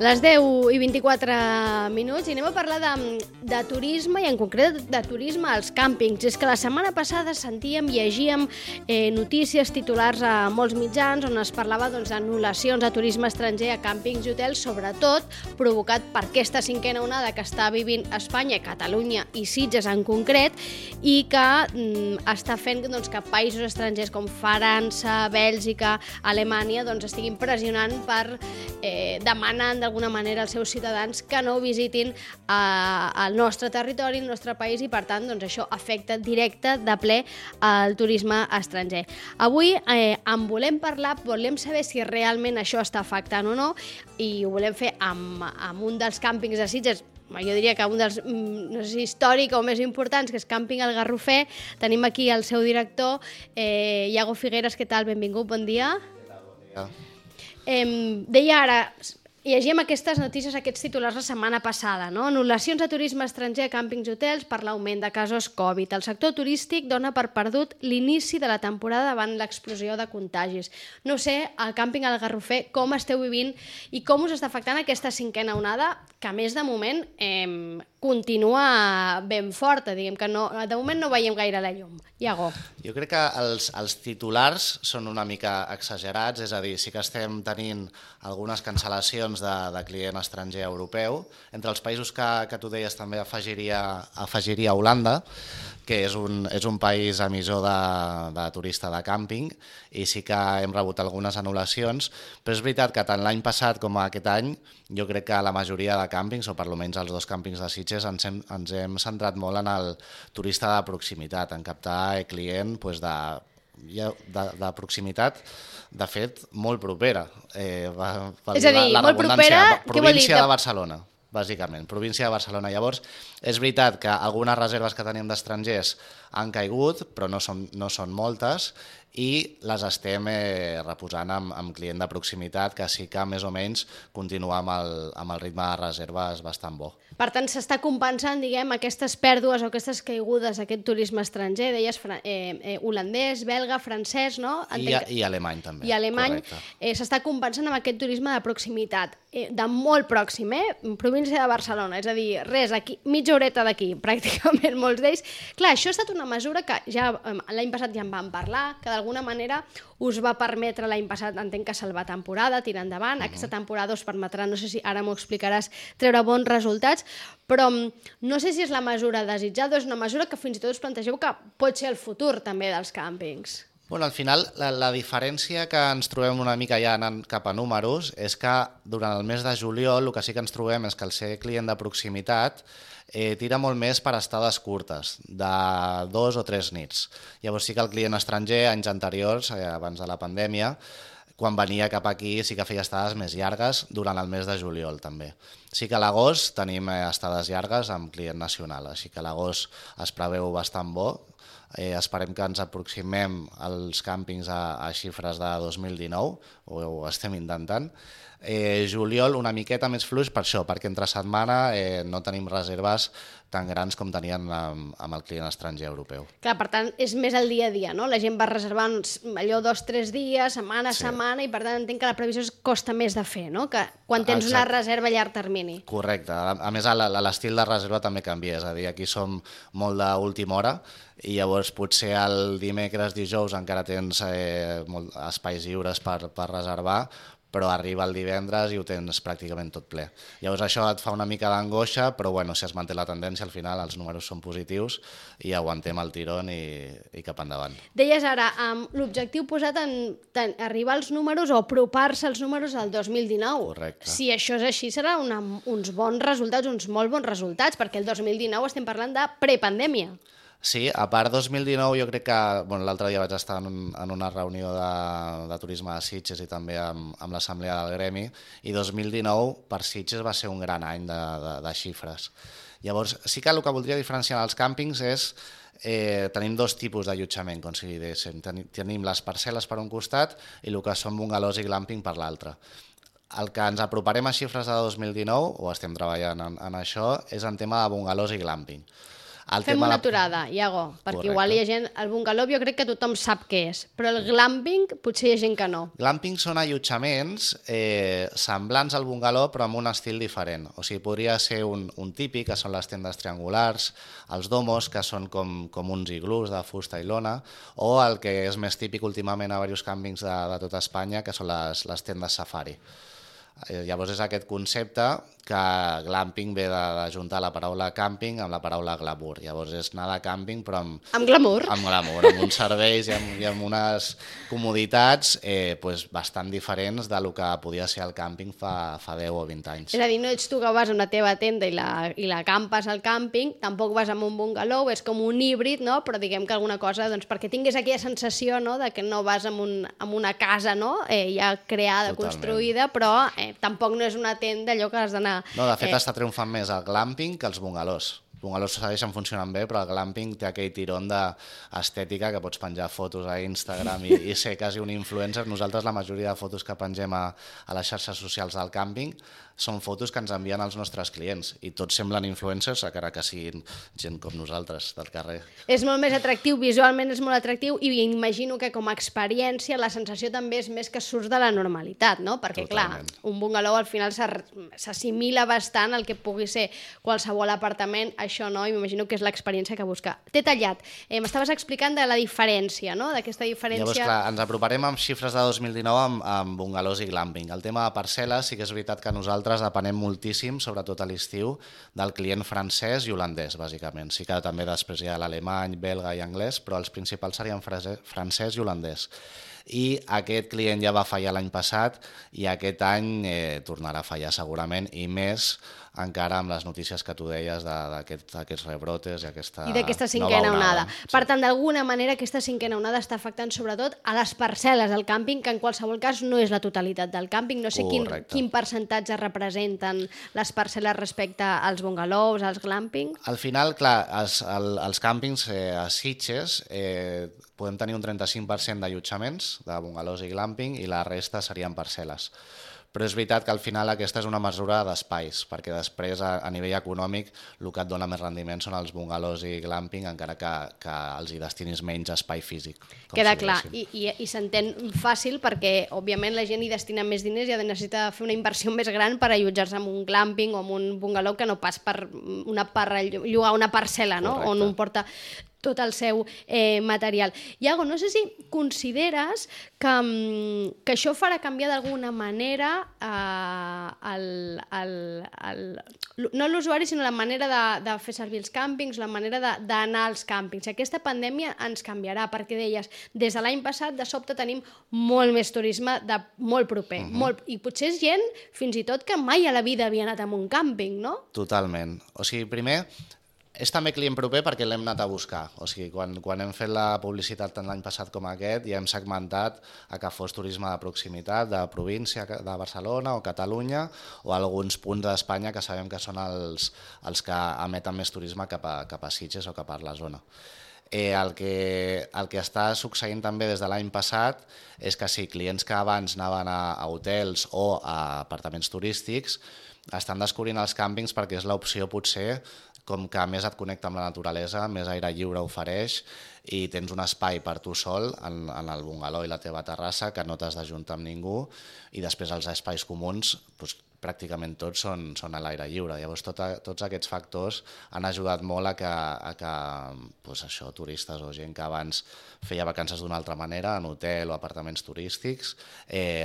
Les 10 i 24 minuts i anem a parlar de turisme i en concret de turisme als càmpings. És que la setmana passada sentíem, llegíem notícies, titulars a molts mitjans on es parlava d'anul·lacions de turisme estranger a càmpings i hotels, sobretot provocat per aquesta cinquena onada que està vivint Espanya, Catalunya i Sitges en concret, i que està fent que països estrangers com França, Bèlgica, Alemanya estiguin pressionant per demanar d'alguna manera als seus ciutadans que no visitin el nostre territori, el nostre país, i per tant això afecta directe de ple al turisme estranger. Avui en volem parlar, volem saber si realment això està afectant o no, i ho volem fer amb un dels càmpings de Sitges, jo diria que un dels, no sé si històric o més importants, que és Càmping El Garrofer. Tenim aquí el seu director, Iago Figueres. Què tal? Benvingut, bon dia. Bon dia. Deia ara, llegíem aquestes notícies, aquests titulars la setmana passada, no? Anul·lacions de turisme estranger a càmpings i hotels per l'augment de casos Covid. El sector turístic dona per perdut l'inici de la temporada davant l'explosió de contagis. No sé, al Càmping El Garrofer, com esteu vivint i com us està afectant aquesta cinquena onada, que a més de moment continua ben forta, diguem que no, de moment no veiem gaire la llum. Iago. Jo crec que els titulars són una mica exagerats, és a dir, sí que estem tenint algunes cancel·lacions de client estranger europeu. Entre els països que tu deies també afegiria Holanda, que és un país emissor de turista de càmping, i sí que hem rebut algunes anul·lacions, però és veritat que tant l'any passat com aquest any jo crec que la majoria de càmpings, o per almenys els dos càmpings de Sitges, ens hem centrat molt en el turista de proximitat, en captar client de proximitat, de fet, molt propera. És a dir, molt propera, què vol dir? Província de Barcelona, bàsicament, província de Barcelona. Llavors, és veritat que algunes reserves que teníem d'estrangers han caigut, però no són moltes, i les estem reposant amb client de proximitat, que sí que més o menys continua amb el ritme de reserves bastant bo. Per tant, s'està compensant, diguem, aquestes pèrdues o aquestes caigudes d'aquest turisme estranger, deies holandès, belga, francès, no? I alemany també. I alemany s'està compensant amb aquest turisme de proximitat, de molt pròxim, província de Barcelona, és a dir, res, aquí, mitja horeta d'aquí, pràcticament, molts d'ells. Clar, això ha estat una mesura que ja l'any passat ja en vam parlar, que d'alguna manera us va permetre l'any passat, entenc que salvar temporada, tirar endavant. Aquesta temporada us permetrà, no sé si ara m'ho explicaràs, treure bons resultats, però no sé si és la mesura desitjada o és una mesura que fins i tot us plantegeu que pot ser el futur també dels càmpings. Bueno, al final, la diferència que ens trobem una mica ja anant cap a números és que durant el mes de juliol el que sí que ens trobem és que el ser client de proximitat tira molt més per estades curtes, de 2 o 3 nits. Llavors sí que el client estranger, anys anteriors, abans de la pandèmia, quan venia cap aquí sí que feia estades més llargues durant el mes de juliol també. Sí que a l'agost tenim estades llargues amb client nacional, així que a l'agost es preveu bastant bo. Esperem que ens aproximem als càmpings a xifres de 2019, ho estem intentant. Juliol una miqueta més fluix per això, perquè entre setmana no tenim reserves tan grans com tenien amb el client estranger europeu. Clar, per tant, és més el dia a dia, no? La gent va reservant allò 2 o 3 dies, setmana a setmana, i per tant entenc que la previsió costa més de fer, no? Que quan tens una reserva a llarg termini. Correcte. A més, l'estil de reserva també canvia, és a dir, aquí som molt d'última hora, i llavors potser el dimecres, dijous encara tens espais lliures per reservar, però arriba el divendres i ho tens pràcticament tot ple. Llavors això et fa una mica d'angoixa, però bueno, si es manté la tendència, al final els números són positius i aguantem el tirón i cap endavant. Deies ara, l'objectiu posat en arribar als números o apropar-se als números del 2019. Correcte. Si això és així, serà uns bons resultats, uns molt bons resultats, perquè el 2019 estem parlant de prepandèmia. Sí, a part 2019 jo crec que l'altre dia vaig estar en una reunió de turisme de Sitges i també amb l'assemblea del gremi, i 2019 per Sitges va ser un gran any de xifres. Llavors sí que el que voldria diferenciar els càmpings és tenim 2 tipus d'allotjament, com si diguéssim. Tenim les parcel·les per un costat i el que són bungalows i glamping per l'altre. El que ens aproparem a xifres de 2019, o estem treballant en això, és en tema de bungalows i glamping. Fem una aturada, Iago, perquè igual hi ha gent... El bungalow jo crec que tothom sap què és, però el glamping potser hi ha gent que no. Glamping són allotjaments semblants al bungalow però amb un estil diferent. O sigui, podria ser un típic, que són les tendes triangulars, els domos, que són com uns iglús de fusta i lona, o el que és més típic últimament a diversos càmpings de tota Espanya, que són les tendes safari. Llavors és aquest concepte que glamping ve d'ajuntar la paraula càmping amb la paraula glamour. Llavors és anar de càmping però amb glamour. Amb glamour, amb uns serveis i amb unes comoditats bastant diferents del que podia ser el càmping fa 10 o 20 anys. És a dir, no ets tu que vas a una teva tenda i la campes al càmping, tampoc vas amb un bungalow, és com un híbrid, no? Però diguem que alguna cosa, doncs, perquè tinguis aquella sensació, no?, de que no vas amb una casa, no?, ja creada, totalment, construïda, però tampoc no és una tenda allò que has d'anar... No, de fet està triomfant més el glamping que els bungalows. Els bungalows segueixen funcionant bé, però el glamping té aquell tirón d'estètica que pots penjar fotos a Instagram i ser quasi un influencer. Nosaltres la majoria de fotos que pengem a les xarxes socials del càmping són fotos que ens envien els nostres clients i tots semblen influencers, encara que siguin gent com nosaltres del carrer. És molt més atractiu, visualment és molt atractiu i imagino que com a experiència la sensació també és més que surts de la normalitat, no? Perquè totalment, clar, un bungalow al final s'assimila bastant al que pugui ser qualsevol apartament, això no, i m'imagino que és l'experiència que busca. T'he tallat, m'estaves explicant de la diferència, no?, d'aquesta diferència... Llavors, clar, ens aproparem amb xifres de 2019 amb bungalows i glamping. El tema de parcel·les sí que és veritat que nosaltres depenem moltíssim, sobretot a l'estiu, del client francès i holandès, bàsicament. Sí que també després hi ha l'alemany, belga i anglès, però els principals serien francès i holandès. I aquest client ja va fallar l'any passat i aquest any tornarà a fallar segurament, i més encara amb les notícies que tu deies d'aquests rebrotes i d'aquesta cinquena onada. Per tant, d'alguna manera, aquesta cinquena onada està afectant sobretot a les parcel·les del càmping, que en qualsevol cas no és la totalitat del càmping. No sé quin percentatge representen les parcel·les respecte als bungalows, als glamping. Al final, clar, els càmpings a Sitges podem tenir un 35% d'allotjaments de bungalows i glamping i la resta serien parcel·les. Però és veritat que al final aquesta és una mesura d'espais, perquè després a nivell econòmic el que et dona més rendiment són els bungalows i glamping, encara que els hi destinis menys espai físic. Queda clar, i s'entén fàcil perquè òbviament la gent hi destina més diners i necessita fer una inversió més gran per allotjar-se en un glamping o en un bungalow que no pas per llogar una parcel·la, no?, on un porta tot el seu material. Iago, no sé si consideres que això farà canviar d'alguna manera no l'usuari, sinó la manera de fer servir els càmpings, la manera d'anar als càmpings. Aquesta pandèmia ens canviarà, perquè deies, des de l'any passat de sobte tenim molt més turisme de molt proper, i potser és gent fins i tot que mai a la vida havia anat a un càmping, no? Totalment. O sigui, primer, és també client proper perquè l'hem anat a buscar. O sigui, quan hem fet la publicitat tant l'any passat com aquest, ja hem segmentat a que fos turisme de proximitat, de província de Barcelona o Catalunya, o alguns punts d'Espanya que sabem que són els que emeten més turisme cap a Sitges o cap a la zona. El que està succeint també des de l'any passat és que sí, clients que abans anaven a hotels o a apartaments turístics estan descobrint els càmpings perquè és l'opció potser com que més et connecta amb la naturalesa, més aire lliure ofereix i tens un espai per tu sol en el bungalow i la teva terrassa que no t'has d'ajuntar amb ningú, i després els espais comuns pràcticament tots són a l'aire lliure. Llavors tots aquests factors han ajudat molt a que turistes o gent que abans feia vacances d'una altra manera, en hotel o apartaments turístics,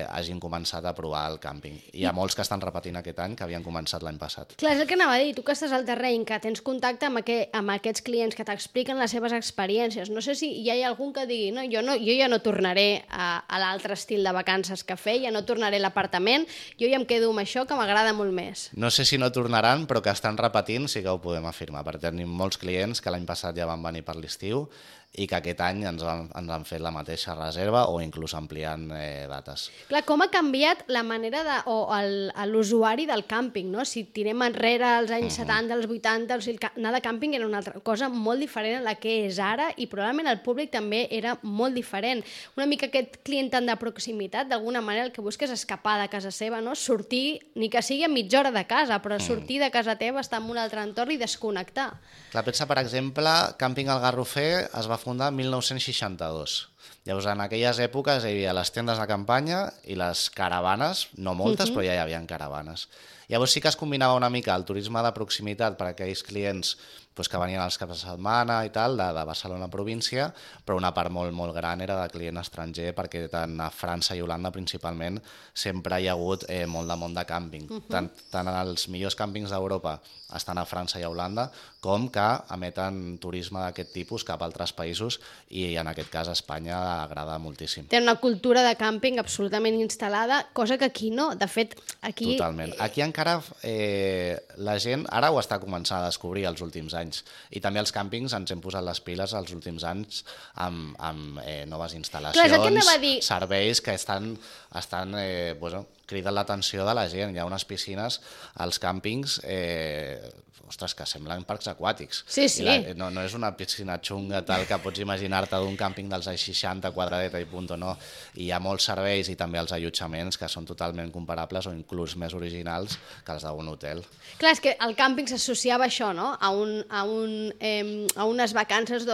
hagin començat a provar el càmping. Hi ha molts que estan repetint aquest any que havien començat l'any passat. Clar, és el que anava a dir, tu que estàs al terreny, que tens contacte amb aquests clients que t'expliquen les seves experiències. No sé si hi ha algun que digui jo ja no tornaré a l'altre estil de vacances que feia, no tornaré a l'apartament, jo ja em quedo amb això que m'agrada molt més. No sé si no tornaran, però que estan repetint sí que ho podem afirmar, perquè tenim molts clients que l'any passat ja van venir per l'estiu i que aquest any ens han fet la mateixa reserva o inclús ampliant dates. Clar, com ha canviat la manera l'usuari del càmping, no? Si tirem enrere als anys 70, als 80, anar de càmping era una altra cosa molt diferent a la que és ara i probablement el públic també era molt diferent. Una mica aquest client tant de proximitat, d'alguna manera el que busca és escapar de casa seva, no? Sortir, ni que sigui a mitja hora de casa, però sortir de casa teva, estar en un altre entorn i desconnectar. Clar, pensa, per exemple, Càmping El Garrofer es va fundar en 1962. Llavors, en aquelles èpoques hi havia les tendes de campanya i les caravanes, no moltes, però ja hi havia caravanes. Llavors sí que es combinava una mica el turisme de proximitat per a aquells clients que venien els caps de setmana i tal, de Barcelona província, però una part molt, molt gran era de client estranger, perquè tant a França i Holanda principalment sempre hi ha hagut molt de món de càmping. Tant en els millors càmpings d'Europa estan a França i a Holanda, com que emeten turisme d'aquest tipus cap a altres països i en aquest cas a Espanya agrada moltíssim. Té una cultura de càmping absolutament instal·lada, cosa que aquí no. De fet, aquí... Totalment. Aquí encara la gent ara ho està començant a descobrir els últims anys i també els càmpings ens hem posat les piles els últims anys amb noves instal·lacions, serveis que estan criden l'atenció de la gent. Hi ha unes piscines als càmpings que semblen parcs aquàtics. Sí, sí. No és una piscina xunga tal que pots imaginar-te d'un càmping dels anys 60, quadradeta i punto, no. I hi ha molts serveis i també els allotjaments que són totalment comparables o inclús més originals que els d'un hotel. Clar, és que el càmping s'associava a això, no? A unes vacances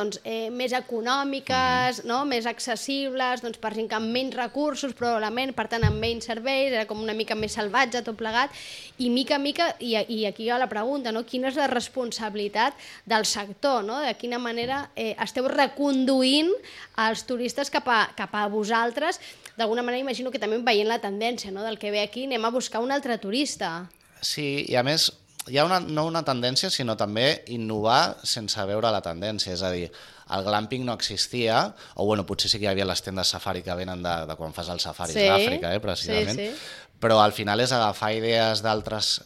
més econòmiques, no? Més accessibles, per gent que amb menys recursos, probablement, per tant, amb menys serveis, era com una mica més salvatge tot plegat, i mica a mica, i aquí hi ha la pregunta, no? Quina és la responsabilitat del sector, no? De quina manera esteu reconduint els turistes cap a vosaltres. D'alguna manera imagino que també veient la tendència, no? Del que ve aquí, anem a buscar un altre turista. Sí, i a més hi ha no una tendència, sinó també innovar sense veure la tendència, és a dir, el glamping no existia, o potser sí que hi havia les tendes safari que venen de quan fas els safaris d'Àfrica, precisament, però al final és agafar idees d'altres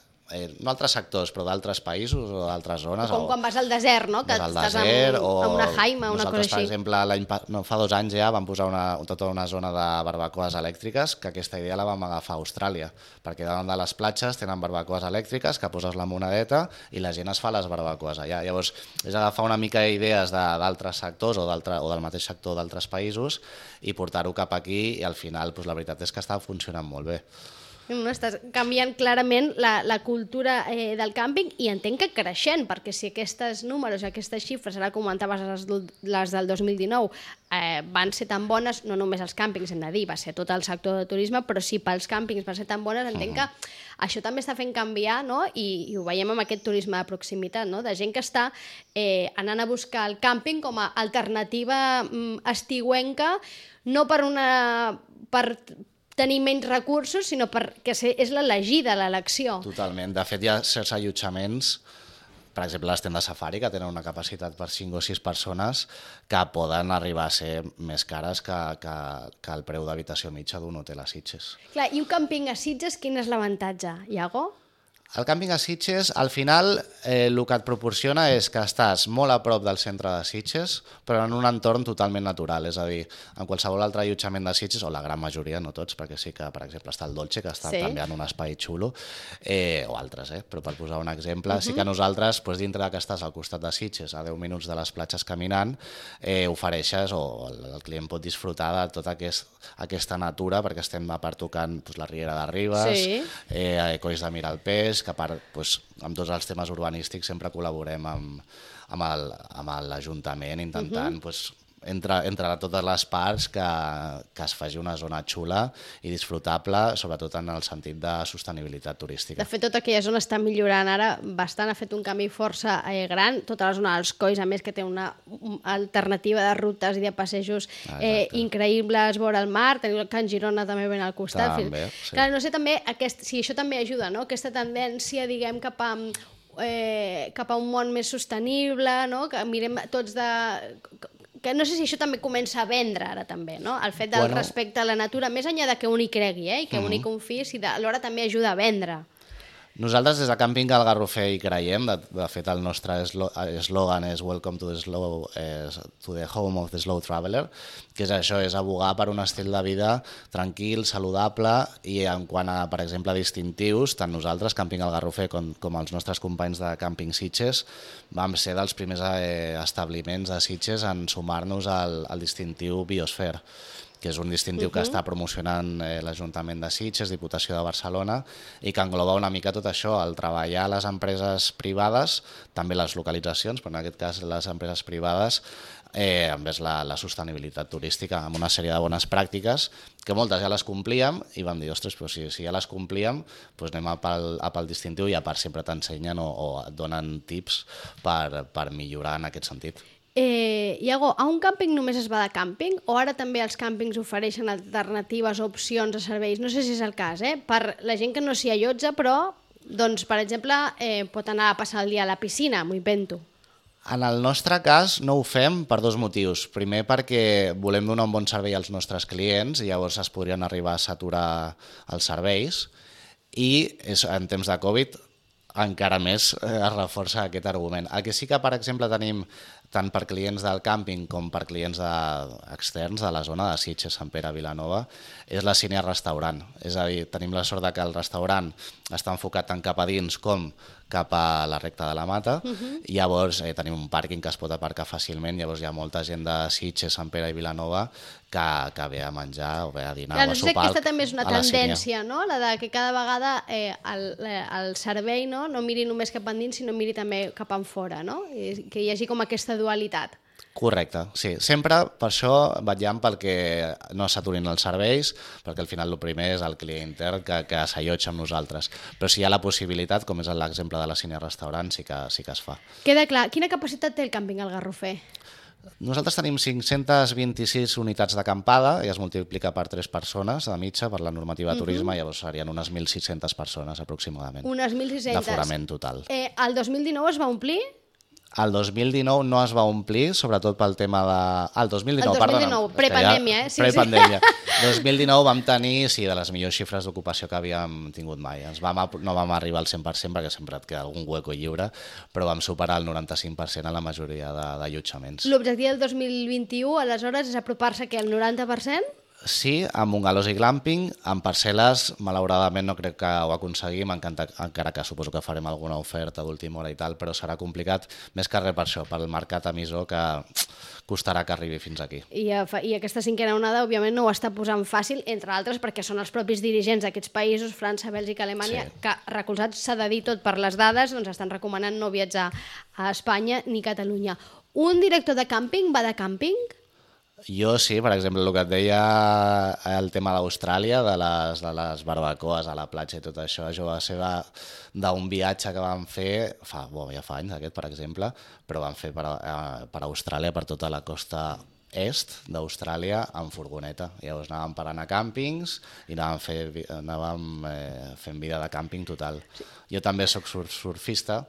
no altres sectors, però d'altres països o d'altres zones. Com quan vas al desert, no? Que estàs a una jaima, una cosa així. Per exemple, fa 2 anys ja vam posar tota una zona de barbacoes elèctriques, que aquesta idea la vam agafar a Austràlia, perquè davant de les platges tenen barbacoes elèctriques, que poses la monedeta i la gent es fa les barbacoes allà. Llavors, és agafar una mica idees d'altres sectors o del mateix sector d'altres països i portar-ho cap aquí i al final la veritat és que està funcionant molt bé. Estàs canviant clarament la cultura del càmping i entenc que creixent, perquè si aquests números, aquestes xifres, ara comentaves les del 2019, van ser tan bones, no només els càmpings, hem de dir, va ser tot el sector de turisme, però si pels càmpings van ser tan bones, entenc que això també està fent canviar, no? I ho veiem amb aquest turisme de proximitat, no? De gent que està anant a buscar el càmping com a alternativa estiuenca, no per tenir menys recursos, sinó perquè és l'elegida, l'elecció. Totalment. De fet, hi ha certs allotjaments, per exemple, les tendes safari, que tenen una capacitat per 5 o 6 persones, que poden arribar a ser més cares que el preu d'habitació mitja d'un hotel a Sitges. Clar, i un càmping a Sitges, quin és l'avantatge, Iago? El càmping a Sitges, al final, el que et proporciona és que estàs molt a prop del centre de Sitges, però en un entorn totalment natural. És a dir, en qualsevol altre allotjament de Sitges, o la gran majoria, no tots, perquè sí que, per exemple, està el Dolce, que està també en un espai xulo, o altres, però per posar un exemple, sí que nosaltres, dintre que estàs al costat de Sitges, a 10 minuts de les platges caminant, ofereixes, o el client pot disfrutar de tota aquesta natura, perquè estem a part tocant la Riera de Ribes, Colls de Miralpeix, que a part, amb tots els temes urbanístics sempre col·laborem amb l'Ajuntament intentant, entre totes les parts, que es faci una zona xula i disfrutable, sobretot en el sentit de sostenibilitat turística. De fet, tota aquella zona està millorant ara bastant, ha fet un canvi força gran, tota la zona dels Colls, a més que té una alternativa de rutes i de passejos increïbles vora el mar, teniu el Can Girona també ben al costat. També, sí. Clar, no sé també si això també ajuda, no? Aquesta tendència, diguem, cap a un món més sostenible, no? Que mirem tots que no sé si això també comença a vendre ara també, no? El fet del respecte a la natura, més enllà de que un hi cregui i que un hi confiï, alhora també ajuda a vendre. Nosaltres des de Càmping al Garrofer hi creiem, de fet el nostre eslògan és Welcome to the home of the slow traveler, que és això, és abogar per un estil de vida tranquil, saludable, i en quant a, per exemple, distintius, tant nosaltres, Càmping al Garrofer, com els nostres companys de Càmping Sitges, vam ser dels primers establiments de Sitges en sumar-nos al distintiu Biosphere, que és un distintiu que està promocionant l'Ajuntament de Sitges, Diputació de Barcelona, i que engloba una mica tot això, el treballar a les empreses privades, també les localitzacions, però en aquest cas les empreses privades, envers la sostenibilitat turística, amb una sèrie de bones pràctiques, que moltes ja les complíem, i vam dir, ostres, però si ja les complíem, doncs anem a pel distintiu, i a part sempre t'ensenyen o et donen tips per millorar en aquest sentit. Iago, a un càmping només es va de càmping o ara també els càmpings ofereixen alternatives o opcions de serveis? No sé si és el cas, per la gent que no s'hi allotja, però, doncs, per exemple, pot anar a passar el dia a la piscina, m'ho invento. En el nostre cas no ho fem per dos motius. Primer perquè volem donar un bon servei als nostres clients i llavors es podrien arribar a saturar els serveis, i en temps de Covid encara més es reforça aquest argument. El que sí que, per exemple, tenim tant per clients del càmping com per clients externs de la zona de Sitges, Sant Pere, Vilanova, és la Cine Restaurant. És a dir, tenim la sort que el restaurant està enfocat tant cap a dins com cap a la recta de la Mata, i llavors tenim un pàrquing que es pot aparcar fàcilment, llavors hi ha molta gent de Sitges, Sant Pere i Vilanova que ve a menjar o ve a dinar o a sopar. Aquesta també és una tendència, no? La de que cada vegada el servei no miri només cap endins, sinó miri també cap enfora, no? I que hi hagi com aquesta dualitat. Correcte, sí. Sempre per això vetllem perquè no s'aturin els serveis, perquè al final el primer és el client intern que s'allotja amb nosaltres. Però si hi ha la possibilitat, com és l'exemple de la Cine Restaurant, sí que es fa. Queda clar. Quina capacitat té el càmping al Garrofer? Nosaltres tenim 526 unitats d'acampada i es multiplica per 3 persones de mitja per la normativa de turisme, llavors serien unes 1.600 persones aproximadament. Unes 1.600. D'aforament total. El 2019 es va omplir? El 2019 no es va omplir, sobretot pel tema de... El 2019, perdona. Prepandèmia, sí. Prepandèmia. 2019 vam tenir, sí, de les millors xifres d'ocupació que havíem tingut mai. No vam arribar al 100% perquè sempre et queda algun hueco lliure, però vam superar el 95% en la majoria d'allotjaments. L'objectiu del 2021, aleshores, és apropar-se al 90%? Sí, amb bungalows i glamping, amb parcel·les, malauradament no crec que ho aconseguim, encara que suposo que farem alguna oferta d'última hora i tal, però serà complicat, més que res per això, pel mercat emissor, que costarà que arribi fins aquí. I aquesta cinquena onada, òbviament, no ho està posant fàcil, entre altres, perquè són els propis dirigents d'aquests països, França, Bèlgica, Alemanya, sí, que, recolzats, s'ha de dir tot per les dades, doncs estan recomanant no viatjar a Espanya ni Catalunya. Un director de càmping va de càmping? Jo sí, per exemple, el que et deia el tema d'Austràlia, de les barbacoes a la platja i tot això, això va ser d'un viatge que vam fer, ja fa anys aquest, per exemple, però vam fer per Austràlia, per tota la costa est d'Austràlia amb furgoneta. Llavors anàvem parant a càmpings i anàvem fent vida de càmping total. Jo també soc surfista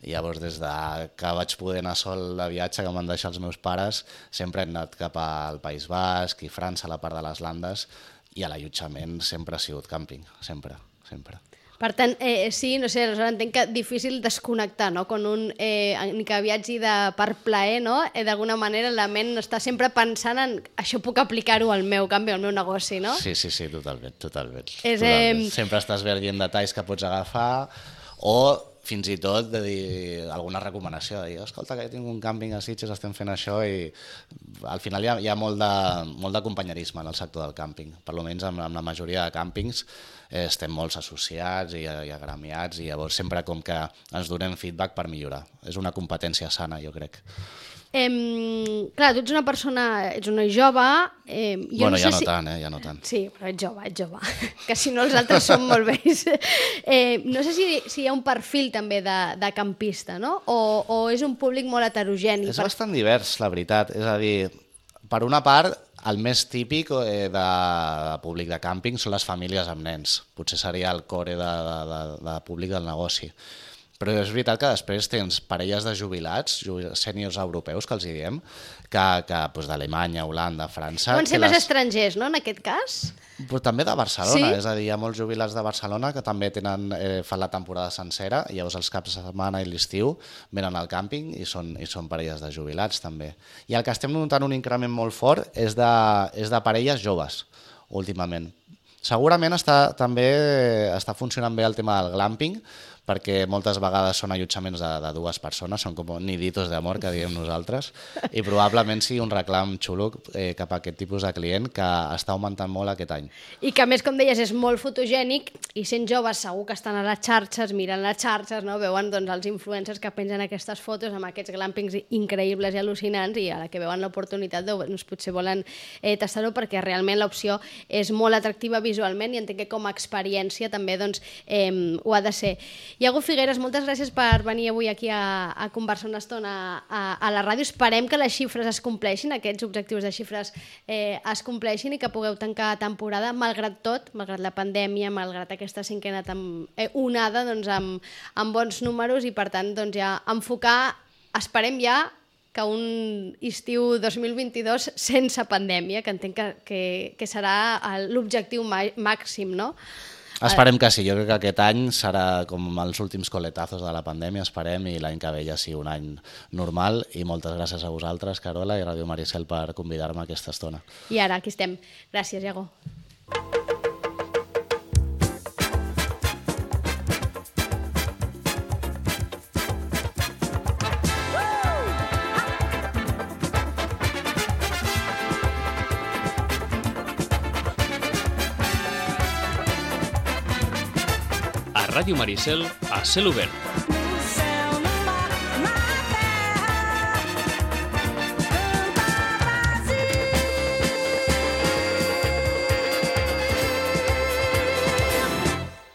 i llavors des que vaig poder anar sol de viatge, que m'han deixat els meus pares, sempre he anat cap al País Basc i França, a la part de les Landes, i a l'allotjament sempre ha sigut càmping, sempre. Per tant, sí, no sé, aleshores entenc que difícil desconnectar, no? Quan un ni que viatgi per plaer, no? D'alguna manera la ment està sempre pensant en això puc aplicar-ho al meu canvi, al meu negoci, no? Sí, totalment. Sempre estàs veient detalls que pots agafar o fins i tot de dir alguna recomanació, de dir, escolta, que tinc un càmping a Sitges, estem fent això, i al final hi ha molt de companyerisme en el sector del càmping. Per almenys amb la majoria de càmpings estem molts associats i agremiats, i llavors sempre com que ens donem feedback per millorar. És una competència sana, jo crec. Clar, tu ets una persona, ets una jove... Bueno, ja no tant. Sí, però ets jove, que si no els altres són molt vells. No sé si hi ha un perfil també de campista, no? O és un públic molt heterogeni. És bastant divers, la veritat. És a dir, per una part, el més típic de públic de càmping són les famílies amb nens. Potser seria el core de públic del negoci. Però és veritat que després tens parelles de jubilats, sèniors europeus, que els diem, que d'Alemanya, Holanda, França... Poden ser més estrangers, no, en aquest cas? Però també de Barcelona, Sí? és a dir, hi ha molts jubilats de Barcelona que també fan la temporada sencera, i llavors els caps de setmana i l'estiu venen al càmping i són parelles de jubilats també. I el que estem notant un increment molt fort és de parelles joves, últimament. Segurament també està funcionant bé el tema del glamping, perquè moltes vegades són allotjaments de dues persones, són com niditos d'amor, que diem nosaltres, i probablement sigui un reclam xulo cap a aquest tipus de client que està augmentant molt aquest any. I que a més, com deies, és molt fotogènic i sent joves segur que estan a les xarxes, miren les xarxes, no? Veuen doncs, els influencers que pengen aquestes fotos amb aquests glampings increïbles i al·lucinants, i a la que veuen l'oportunitat doncs, potser volen tastar-ho, perquè realment l'opció és molt atractiva visualment i entenc que com a experiència també doncs, ho ha de ser. Iago Figueres, moltes gràcies per venir avui aquí a conversar una estona a la ràdio. Esperem que les xifres es compleixin, aquests objectius de xifres es compleixin i que pugueu tancar temporada, malgrat tot, malgrat la pandèmia, malgrat aquesta cinquena onada, doncs, amb bons números, i per tant doncs, ja enfocar, esperem ja, que un estiu 2022 sense pandèmia, que entenc que serà l'objectiu màxim, no? Esperem que sí, jo crec que aquest any serà com els últims coletazos de la pandèmia, esperem, i l'any que ve ja sigui un any normal. I moltes gràcies a vosaltres, Carola i Ràdio Maricel, per convidar-me a aquesta estona. I ara, aquí estem. Gràcies, Iago. Ràdio Maricel a cel obert.